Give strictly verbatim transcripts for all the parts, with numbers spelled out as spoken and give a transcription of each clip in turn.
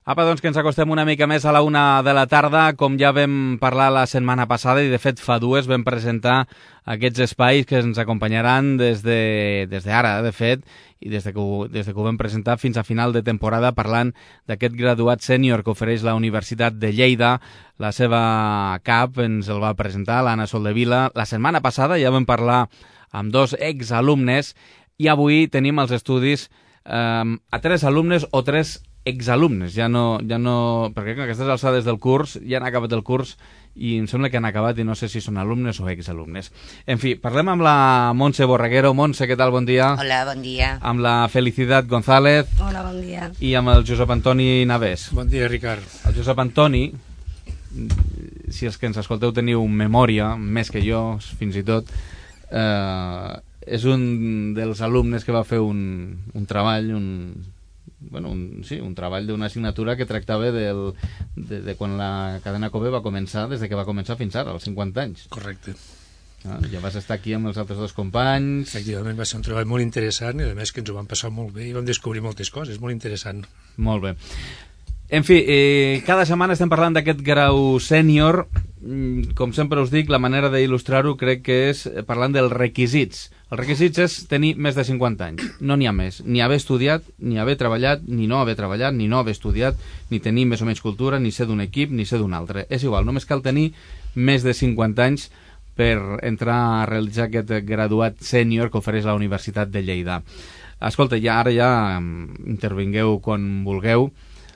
Apa, doncs que ens acostem una mica més a la una de la tarda. Com ja vam parlar la setmana passada, i de fet fa dues, vam presentar aquests espais que ens acompanyaran des de, des d'ara, de fet, i des de, que ho, des de que ho vam presentar fins a final de temporada, parlant d'aquest graduat sènior que ofereix la Universitat de Lleida. La seva cap ens el va presentar l'Anna Soldevila. La setmana passada ja vam parlar amb dos exalumnes i avui tenim als estudis eh, a tres alumnes o tres exalumnes, ja no, ja no, perquè a aquestes alçades del curs ja han acabat el curs i em sembla que han acabat i no sé si són alumnes o exalumnes. En fi, parlem amb la Montse Borreguero. Montse, què tal? Bon dia. Hola, bon dia. Amb la Felicitat González. Hola, bon dia. I amb el Josep Antoni Navès. Bon dia, Ricard. El Josep Antoni, si els que ens escolteu teniu memòria, més que jo, fins i tot, eh, és un dels alumnes que va fer un, un treball, un... Bueno, un, sí, un treball d'una assignatura que tractava del, de, de quan la cadena Kobe va començar, des de que va començar fins ara, als cinquanta anys. Correcte. Ah, ja vas estar aquí amb els altres dos companys. Efectivament, va ser un treball molt interessant i a més que ens ho vam passar molt bé i vam descobrir moltes coses, molt interessant. Molt bé. En fi, eh, cada setmana estem parlant d'aquest grau sènior. Com sempre us dic, la manera d'il·lustrar-ho crec que és parlant dels requisits. Els requisits és tenir més de cinquanta anys, no n'hi ha més, ni haver estudiat, ni haver treballat, ni no haver treballat, ni no haver estudiat, ni tenir més o menys cultura, ni ser d'un equip, ni ser d'un altre. És igual, només cal tenir més de cinquanta anys per entrar a realitzar aquest graduat sènior que ofereix la Universitat de Lleida. Escolta, ja ara ja intervingueu quan vulgueu,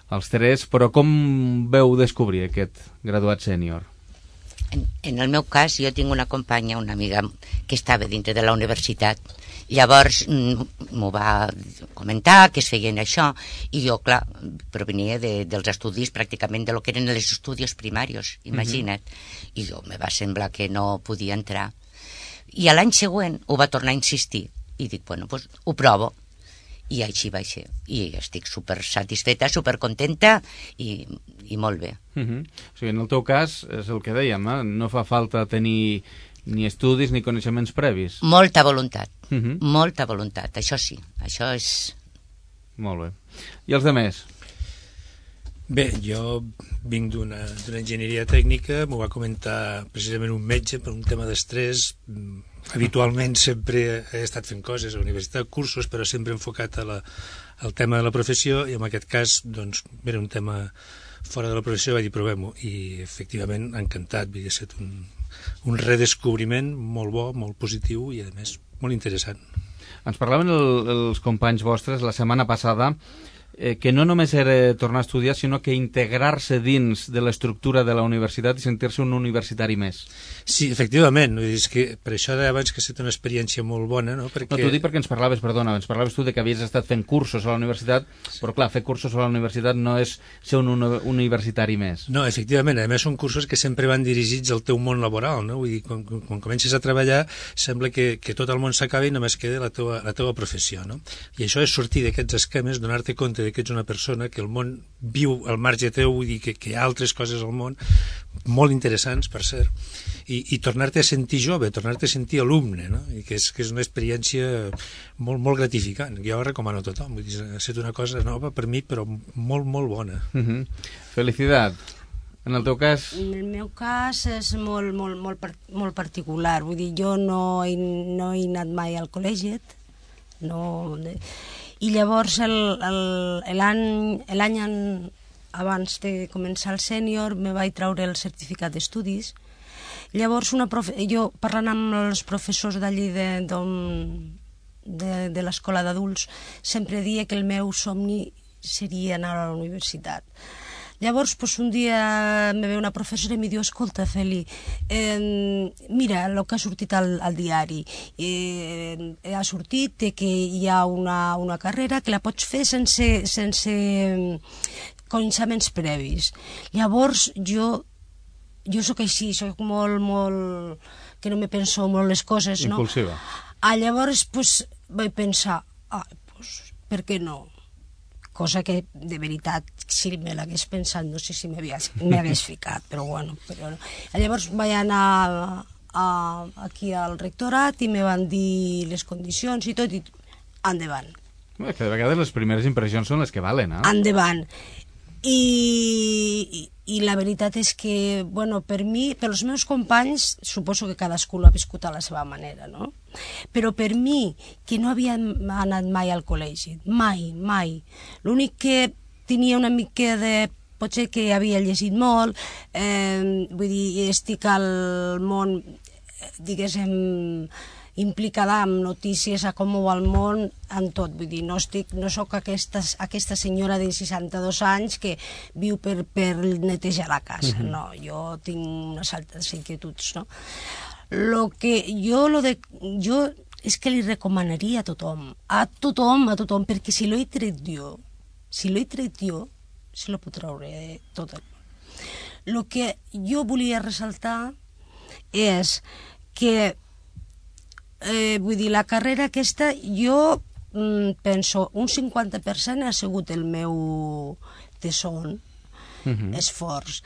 els tres, però com veu descobrir aquest graduat sènior? En, en el meu cas, jo tinc una companya, una amiga, que estava dintre de la universitat. Llavors m'ho va comentar, que es feien això, i jo, clar, provenia de, dels estudis pràcticament de lo que eren els estudis primaris, imagina't. Uh-huh. I jo me va semblar que no podia entrar. I a l'any següent ho va tornar a insistir, i dic, bueno, doncs ho provo. I així va ser. I estic super satisfeta, super contenta i, i molt bé. Uh-huh. O sigui, en el teu cas, és el que dèiem, eh? No fa falta tenir ni estudis ni coneixements previs. Molta voluntat, uh-huh. molta voluntat, això sí, això és... Molt bé. I els demés? Bé, jo vinc d'una enginyeria tècnica, m'ho va comentar precisament un metge per un tema d'estrès. Habitualment sempre he estat fent coses a la universitat, cursos, però sempre enfocat a la, al tema de la professió, i en aquest cas, doncs, era un tema fora de la professió, vaig dir, provem-ho, i efectivament encantat, havia estat un, un redescobriment molt bo, molt positiu i a més molt interessant. Ens parlaven el, els companys vostres la setmana passada eh, que no només era tornar a estudiar, sinó que integrar-se dins de l'estructura de la universitat i sentir-se un universitari més. Sí, efectivament, és que per això deia abans que ha estat una experiència molt bona, no? Perquè... No, t'ho dic perquè ens parlaves, perdona, ens parlaves tu de que havies estat fent cursos a la universitat, però clar, fer cursos a la universitat no és ser un uni universitari més. No, efectivament, a més són cursos que sempre van dirigits al teu món laboral, no? Vull dir, quan, quan comences a treballar sembla que, que tot el món s'acaba i només queda la teua, la teua professió, no? I això és sortir d'aquests esquemes, donar-te compte que ets una persona, que el món viu al marge teu, vull dir que, que hi ha altres coses al món, molt interessants, per cert, i, i tornar-te a sentir jove, tornar-te a sentir alumne, no? I que és, que és una experiència molt, molt gratificant. Jo recomano a tothom, vull dir, ha estat una cosa nova per mi, però molt, molt bona. Uh-huh. Felicitat. En el teu cas? En el meu cas és molt, molt, molt, molt particular. Vull dir, jo no he, no he anat mai al col·legi, no... I llavors l'any abans de començar el sènior me vaig treure el certificat d'estudis. Llavors una profe... jo parlant amb els professors d'allí de, de, de l'escola d'adults sempre dia que el meu somni seria anar a la universitat. Llavors, pues, un dia me ve una professora i em diu, escolta, Feli, eh, mira el que ha sortit al, al diari. Eh, ha sortit que hi ha una, una carrera que la pots fer sense, sense coneixements previs. Llavors, jo, jo sóc així, sóc molt, molt... que no me penso molt les coses, no? Impulsiva. Ah, llavors, pues, vaig pensar, ah, pues, per què no? Cosa que, de veritat, si me l'hagués pensat, no sé si m'hagués ficat, però bueno. Però no. Llavors vaig anar a, aquí al rectorat i me van dir les condicions i tot, i endavant. Bé, que de vegades les primeres impressions són les que valen, eh? Endavant. I, i la veritat és que, bueno, per mi, pels meus companys, suposo que cadascú l'ha viscut a la seva manera, no? Però per mi, que no havia anat mai al col·legi, mai, mai, l'únic que tenia una mica de... potser que havia llegit molt, eh, vull dir, estic al món, diguéssim, implicada amb notícies a com va el món, en tot, vull dir, no estic, no sóc aquesta, aquesta senyora de seixanta-dos anys que viu per, per netejar la casa, uh-huh. No, jo tinc unes altres inquietuds, no? Lo que jo, lo de, jo és que li recomanaria a tothom, a tothom, a tothom, perquè si l'he tret jo, si l'he tret jo, se lo puc treure tot el món. Lo que jo volia ressaltar és que Eh, vull dir, la carrera aquesta, jo mm, penso, un cinquanta per cent ha sigut el meu tesón, uh-huh. esforç,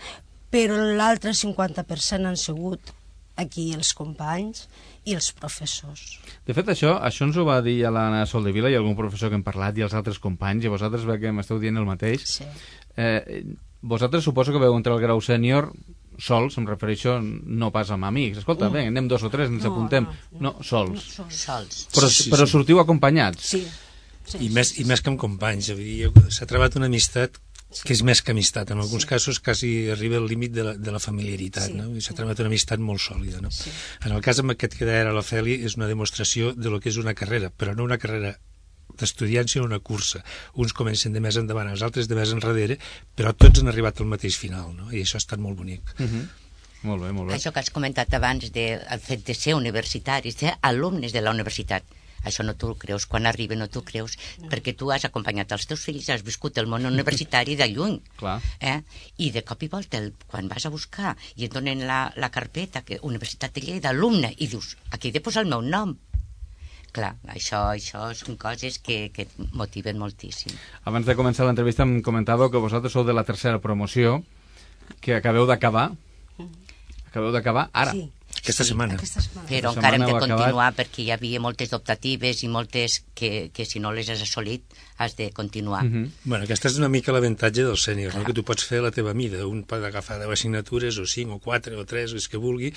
però l'altre cinquanta per cent han sigut aquí els companys i els professors. De fet, això, això ens ho va dir a l'Anna Soldevila i algun professor que hem parlat i els altres companys, i vosaltres ve que m'esteu dient el mateix. Sí. Eh, vosaltres suposo que veu entrar el grau sènior sols, em refereixo, no pas amb amics. Escolta, no. Bé, anem dos o tres, ens no, apuntem. No, no, no sols. No, sols. Però, sí, sí, però sí. sortiu acompanyats. Sí. sí I, sí, més, sí, I més que amb companys. S'ha trobat una amistat que és més que amistat. En alguns sí. casos quasi arriba al límit de la, de la familiaritat. Sí, no? I s'ha sí. trobat una amistat molt sòlida. No? Sí. En el cas amb aquest que deia ara la Feli, és una demostració de lo que és una carrera, però no una carrera d'estudiants, sinó una cursa. Uns comencen de més endavant, els altres de més enrere, però tots han arribat al mateix final, no? I això ha estat molt bonic. Uh-huh. Molt bé, molt bé. Això que has comentat abans del de, fet de ser universitaris, ser alumnes de la universitat, això no t'ho creus, quan arriba no t'ho creus, no. Perquè tu has acompanyat els teus fills, has viscut el món universitari de lluny. Clar. Eh? I de cop i volta, el, quan vas a buscar i et donen la, la carpeta, que Universitat de Lleida, alumne, i dius, aquí he de posar el meu nom. Clar, això, això són coses que, que et motiven moltíssim. Abans de començar l'entrevista em comentàveu que vosaltres sou de la tercera promoció, que acabeu d'acabar. Acabeu d'acabar ara. Sí. Aquesta sí, setmana. Aquesta setmana. Però Aquesta encara hem de setmana heu continuar acabat. perquè hi havia moltes optatives i moltes que, que si no les has assolit has de continuar. Uh-huh. Bueno, aquesta és una mica l'avantatge del sènior, no? Que tu pots fer a la teva mida. Un pot agafar deu assignatures, o cinc, o quatre, o tres, les que vulgui,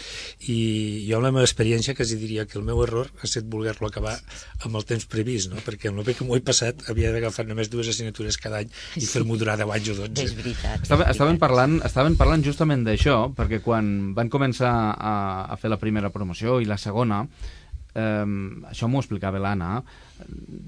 i jo amb la meva experiència quasi diria que el meu error ha estat voler-lo acabar amb el temps previst, no? Perquè amb el bé que m'ho he passat havia d'agafar només dues assignatures cada any i fer-m'ho durar deu anys o dotze. És veritat. Estava, és estaven, veritat. parlant, estaven parlant justament d'això, perquè quan van començar a, a fer la primera promoció i la segona, eh, això m'ho explicava l'Anna,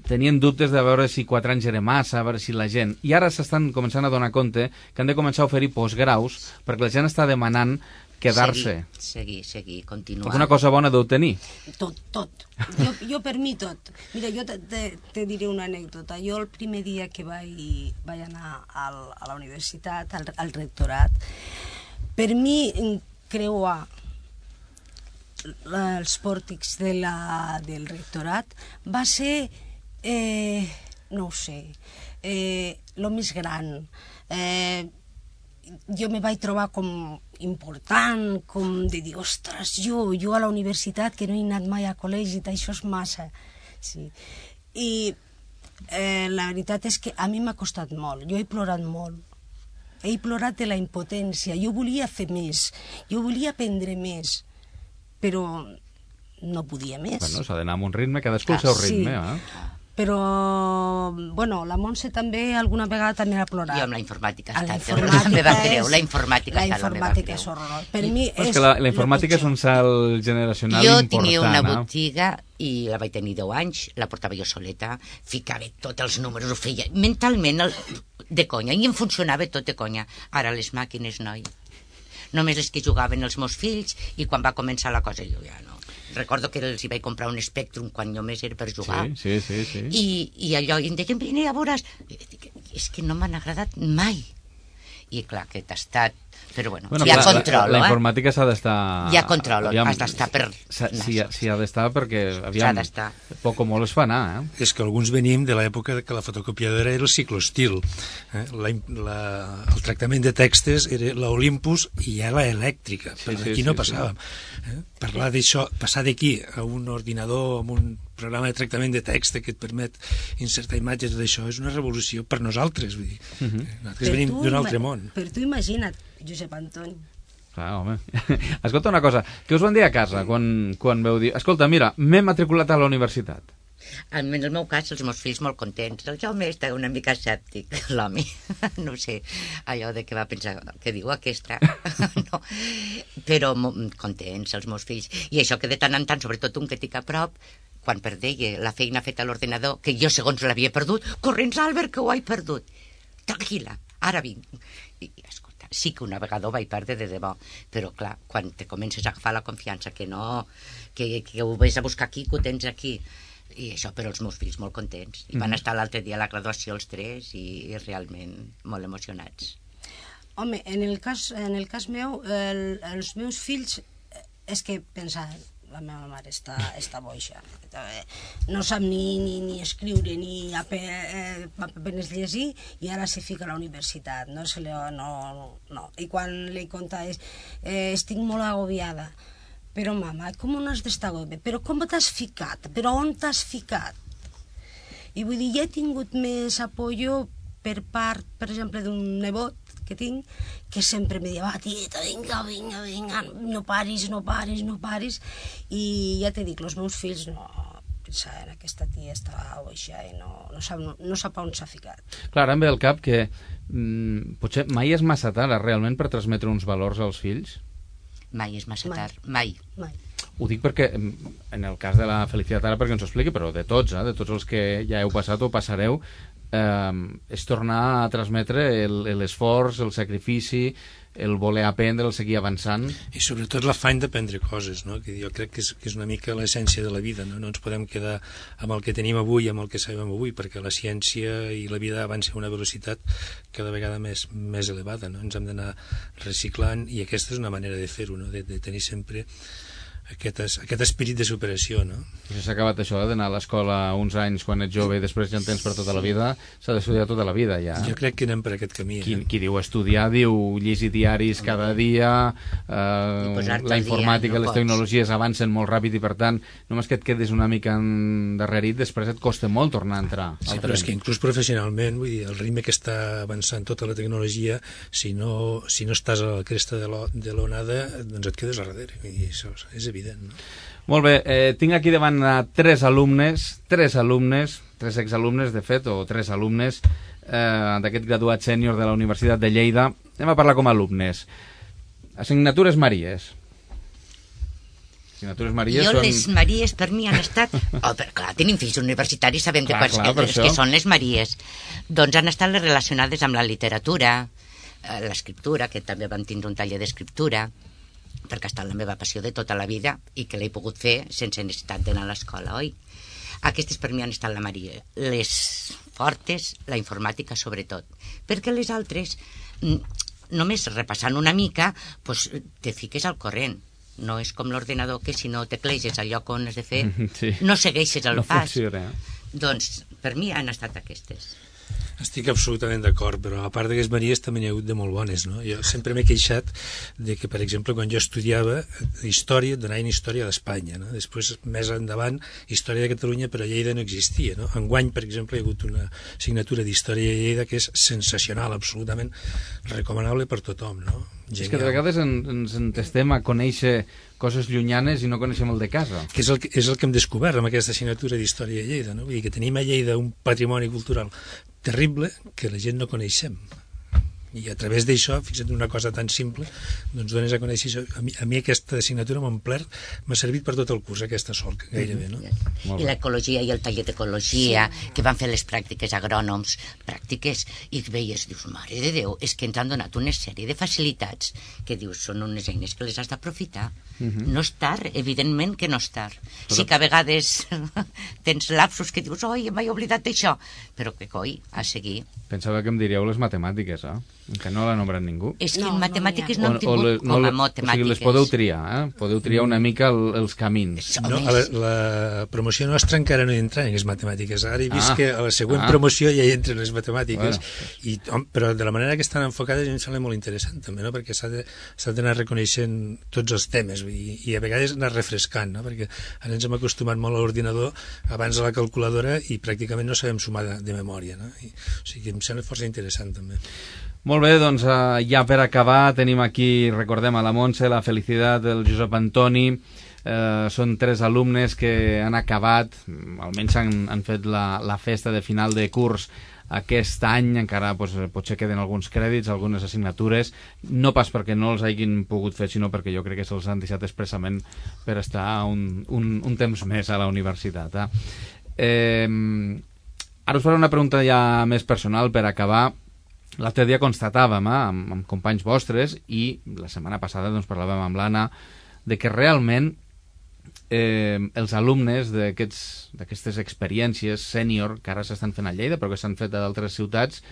tenien dubtes de veure si quatre anys era massa, a veure si la gent... I ara s'estan començant a donar compte que han de començar a oferir postgraus perquè la gent està demanant quedar-se. Seguir, seguir, seguir, continuar. Alguna cosa bona deu tenir. Tot, tot. Jo, jo per mi tot. Mira, jo te, te, te diré una anècdota. Jo el primer dia que vaig, vaig anar al, a la universitat, al, al rectorat, per mi creuar els pòrtics de la, del rectorat va ser, eh, no ho sé, eh, lo més gran. Eh, jo me vaig trobar com important, com de dir, ostres, jo, jo a la universitat que no he anat mai a col·legi, això és massa. Sí. I eh, la veritat és que a mi m'ha costat molt, jo he plorat molt. He plorat de la impotència, jo volia fer més, jo volia aprendre més, però no podia més. Bueno, s'ha d'anar amb un ritme, cadascú el seu ritme, sí. eh? Però, bueno, la Montse també alguna vegada també ha plorat. Jo amb la informàtica A la està, la meva creu, la informàtica la està la meva informàtica creu. és horrorós. Per mi Però és és que la, la informàtica lo és un salt generacional Jo important. tenia una eh? botiga i la vaig tenir deu anys, la portava jo soleta, ficava tots els números, ho feia mentalment el, de conya, i em funcionava tot de conya. Ara les màquines, noi, només les que jugaven els meus fills, i quan va començar la cosa jo ja no. Recordo que els hi vaig comprar un Spectrum quan només era per jugar. Sí, sí, sí. sí. I, i allò, i em deien, vine, ja veuràs. És que no m'han agradat mai. I clar, aquest ha estat Però bueno, bueno hi ha la, control, la, la eh? informàtica s'ha d'estar... Hi ha control, has d'estar per... Sí, sí ha d'estar perquè, aviam, poc o molt es fa anar, eh? És que alguns venim de l'època que la fotocopiadora era el ciclostil. Eh? La, la, el tractament de textos era l'Olympus i ja la elèctrica, sí, però sí, aquí sí, no passàvem. Sí. Eh? Parlar d'això, passar d'aquí a un ordinador, amb un programa de tractament de text que et permet insertar imatges d'això, és una revolució per nosaltres, vull dir. Uh -huh. Nosaltres venim d'un altre món. Per tu imagina't, Josep Antoni. Clar, home. Escolta una cosa, què us van dir a casa quan, quan veu dir... Escolta, mira, m'he matriculat a la universitat. En el meu cas, els meus fills molt contents. El Jaume està una mica escèptic, l'home. No sé, allò de què va pensar, què diu aquesta? No. Però contents, els meus fills. I això que de tant en tant, sobretot un que tinc a prop, quan perdei la feina feta a l'ordinador, que jo segons l'havia perdut, corrents, Albert, que ho he perdut. Tranquil·la, ara vinc. I, escolta, sí que una vegada ho vaig perdre de debò, però clar, quan te comences a agafar la confiança, que no, que, que ho ves a buscar aquí, que ho tens aquí, i això, però els meus fills molt contents. I van estar l'altre dia a la graduació els tres i, i realment molt emocionats. Home, en el cas, en el cas meu, el, els meus fills, és que pensaven, la meva mare està, està boixa, no sap ni, ni, ni escriure ni apenes llegir i ara se fica a la universitat, no, se li, no, no. I quan li conta és, eh, estic molt agobiada, però mama, com no has d'estar agobiada? Però com t'has ficat? Però on t'has ficat? I vull dir, ja he tingut més apoyo per part, per exemple, d'un nebot que tinc, que sempre me diu, va, tieta, vinga, vinga, vinga, no paris, no paris, no paris, i ja t'he dit, els meus fills no pensaven, aquesta tia està boixa i no, no, sap, no, no sap on s'ha ficat. Clar, em ve al cap que mm, potser mai és massa tard, realment, per transmetre uns valors als fills? Mai és massa tard, mai. mai. Ho dic perquè, en el cas de la Felicitat ara, perquè ens ho expliqui, però de tots, eh, de tots els que ja heu passat o passareu, eh, és tornar a transmetre l'esforç, el, el sacrifici, el voler aprendre, el seguir avançant. I sobretot l'afany d'aprendre coses, no? Que jo crec que és, que és una mica l'essència de la vida, no? No ens podem quedar amb el que tenim avui, amb el que sabem avui, perquè la ciència i la vida avança a una velocitat cada vegada més, més elevada, no? Ens hem d'anar reciclant i aquesta és una manera de fer-ho, no? De, de tenir sempre aquest, aquest espírit de superació, no? Si s'ha acabat això, eh, d'anar a l'escola uns anys quan ets jove i després ja en tens per tota la vida, s'ha d'estudiar tota la vida, ja. Jo crec que anem per aquest camí. Qui, eh? qui diu estudiar, diu llegir diaris cada dia, eh, la informàtica, dia, no les tecnologies pots. Avancen molt ràpid i, per tant, només que et quedis una mica endarrerit, després et costa molt tornar a entrar. Sí, però és que inclús professionalment, vull dir, el ritme que està avançant tota la tecnologia, si no, si no estàs a la cresta de l'onada, doncs et quedes a darrere. Vull dir, això és evident, no? Molt bé, eh, tinc aquí davant a tres alumnes, tres alumnes, tres exalumnes, de fet, o tres alumnes eh, d'aquest graduat sènior de la Universitat de Lleida. Anem a parlar com a alumnes. Assignatures Maries. Assignatures Maries jo són... les Maries per mi han estat... Oh, però clar, tenim fills universitaris, sabem clar, de quants clar, que, que són les Maries. Doncs han estat les relacionades amb la literatura, eh, l'escriptura, que també vam tindre un taller d'escriptura, perquè ha estat la meva passió de tota la vida i que l'he pogut fer sense necessitat d'anar a l'escola, oi? Aquestes per mi han estat la Maria. Les fortes, la informàtica sobretot. Perquè les altres, només repassant una mica, doncs te fiques al corrent. No és com l'ordenador que si no tecleges al lloc on has de fer, sí. no segueixes el no pas. Funciona. Doncs per mi han estat aquestes. Estic absolutament d'acord, però a part d'aquestes Maries també n'hi ha hagut de molt bones, no? Jo sempre m'he queixat de que, per exemple, quan jo estudiava història, donaven història d'Espanya, no? Després, més endavant, història de Catalunya, però a Lleida no existia, no? Enguany, per exemple, hi ha hagut una assignatura d'història de Lleida que és sensacional, absolutament recomanable per tothom, no? Genial. És que de vegades en, ens entestem a conèixer coses llunyanes i no coneixem el de casa. Que és el que, és el que hem descobert amb aquesta assignatura d'història de Lleida, no? Vull dir que tenim a Lleida un patrimoni cultural terrible que la gent no coneixem. I a través d'això, fixa't una cosa tan simple, doncs dones a conèixer això. A mi, a mi aquesta assignatura m'ha omplert, m'ha servit per tot el curs, aquesta sol, gairebé, no? I l'ecologia i el taller d'ecologia, sí. que van fer les pràctiques agrònoms, pràctiques, i veies, dius, mare de Déu, és que ens han donat una sèrie de facilitats que dius, són unes eines que les has d'aprofitar. Uh -huh. No és tard, evidentment que no és tard. Però... Sí que a vegades tens lapsos que dius, oi, m'he oblidat d'això, però que coi, a seguir. Pensava que em diríeu les matemàtiques, eh? Que no l'ha nombrat ningú. És que No, en no matemàtiques n'hi ha. no, hem tingut le- com a le- matemàtiques. O sigui, les podeu triar, eh? Podeu triar una mica el, els camins. No, a la, la promoció nostra encara no hi entra en les matemàtiques. Ara he vist Ah. que a la següent Ah. promoció ja hi entren les matemàtiques, Bueno. i, hom, però de la manera que estan enfocades em sembla molt interessant també, no? Perquè s'ha de- s'ha d'anar reconeixent tots els temes i, i a vegades anar refrescant, no? Perquè ara ens hem acostumat molt a l'ordinador, abans a la calculadora, i pràcticament no sabem sumar de, de memòria, no? I, o sigui, em sembla força interessant també. Molt bé, doncs uh, ja per acabar tenim aquí, recordem, a la Montse, la Felicitat, el Josep Antoni. Uh, són tres alumnes que han acabat, almenys han, han fet la, la festa de final de curs aquest any. Encara pues, potser queden alguns crèdits, algunes assignatures, no pas perquè no els hagin pogut fer, sinó perquè jo crec que se'ls han deixat expressament per estar un, un, un temps més a la universitat. Eh? Eh, ara us faré una pregunta ja més personal per acabar. L'altre dia constatàvem eh, amb, amb companys vostres, i la setmana passada doncs, parlàvem amb l'Anna, de que realment eh, els alumnes d'aquestes experiències sènior que ara s'estan fent a Lleida, però que s'han fet a d'altres ciutats,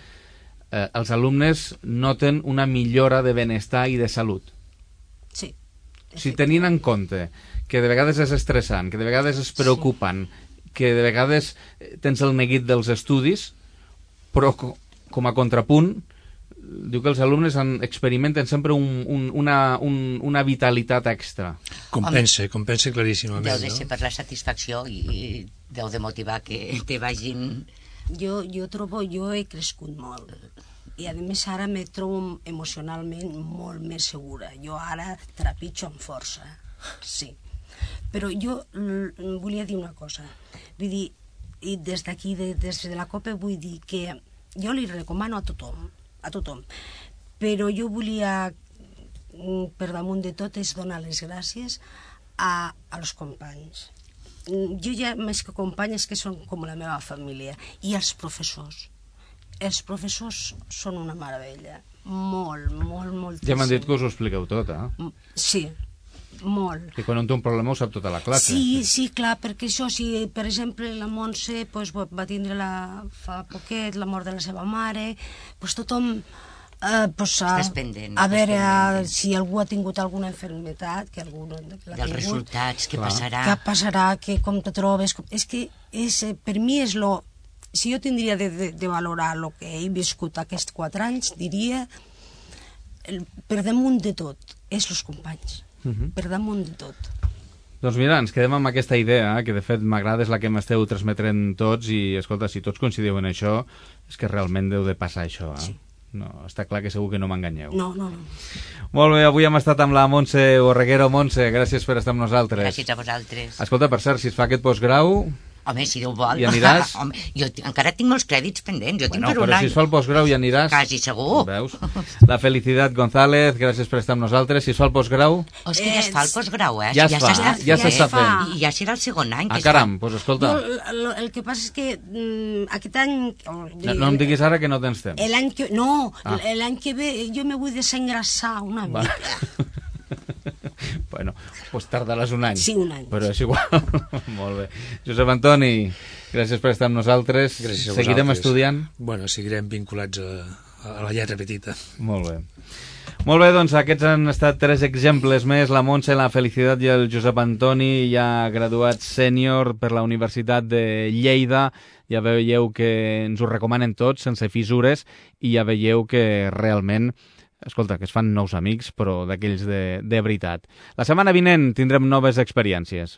eh, els alumnes noten una millora de benestar i de salut. Sí. Si tenint en compte que de vegades és estressant, que de vegades és preocupant, sí. que de vegades tens el neguit dels estudis, però com a contrapunt, diu que els alumnes han, experimenten sempre un, un, una, un, una vitalitat extra. Compensa, compensa claríssimament. Deu de ser no? per la satisfacció i, i deu de motivar que te vagin... Jo, jo trobo, jo he crescut molt. I a més ara me trobo emocionalment molt més segura. Jo ara trepitjo amb força, sí. Però jo l- volia dir una cosa. Vull dir, i des d'aquí, de, des de la COPE, vull dir que jo li recomano a tothom, a tothom, però jo volia, per damunt de tot, és donar les gràcies a, als companys. Jo ja, més que companyes, que són com la meva família, i als professors. Els professors són una meravella, molt, molt, moltíssim. Ja m'han dit que us ho expliqueu tot, eh? Sí, molt. Que quan un té un problema ho sap tota la classe. Sí, sí, clar, perquè això, si per exemple la Montse pues, va tindre la, fa poquet la mort de la seva mare, pues, tothom eh, pues, a, Estàs pendent, a estàs veure pendent. si algú ha tingut alguna enfermetat, que algú no l'ha dels tingut, resultats, què Clar. passarà. què passarà, que com te trobes... Com... És que és, eh, per mi és lo... Si jo tindria de, de, de valorar el que he viscut aquests quatre anys, diria, el, per damunt de tot, és els companys. Uh -huh. Per damunt de tot. Doncs mira, ens quedem amb aquesta idea, eh, que de fet m'agrada, és la que m'esteu transmetent tots, i escolta, si tots coincideu en això, és que realment deu de passar això, eh? Sí. No, està clar que segur que no m'enganyeu. No, no, no. Molt bé, avui hem estat amb la Montse Borreguero. Montse, gràcies per estar amb nosaltres. Gràcies a vosaltres. Escolta, per cert, si es fa aquest postgrau... Home, si Déu vol. Hi aniràs? Home, jo t- encara tinc molts crèdits pendents, jo Bueno, tinc per un però any. si es fa el postgrau ja aniràs. Quasi segur. Veus? La Felicitat González, gràcies per estar amb nosaltres. Si es fa el postgrau... O és que ja es fa el postgrau, eh? Ja es fa, s'està ja fent. s'està fent. I ja serà el segon any que Ah, es fa. caram, doncs escolta, Jo, el, el que passa és que mm, aquest any... no, no em diguis ara que no tens temps. L'any que... No, Ah. l'any que ve jo me vull desengrassar una Va. mica. Bueno, doncs tardaràs un any. Sí, un any. Però és igual. Molt bé. Josep Antoni, gràcies per estar amb nosaltres. Gràcies a Seguirem vosaltres. estudiant? Bueno, seguirem vinculats a, a la lletra petita. Molt bé. Molt bé, doncs aquests han estat tres exemples més, la Montse, la Felicitat i el Josep Antoni, ja graduats sènior per la Universitat de Lleida. Ja veieu que ens ho recomanen tots, sense fissures, i ja veieu que realment, escolta, que es fan nous amics, però d'aquells de, de veritat. La setmana vinent tindrem noves experiències.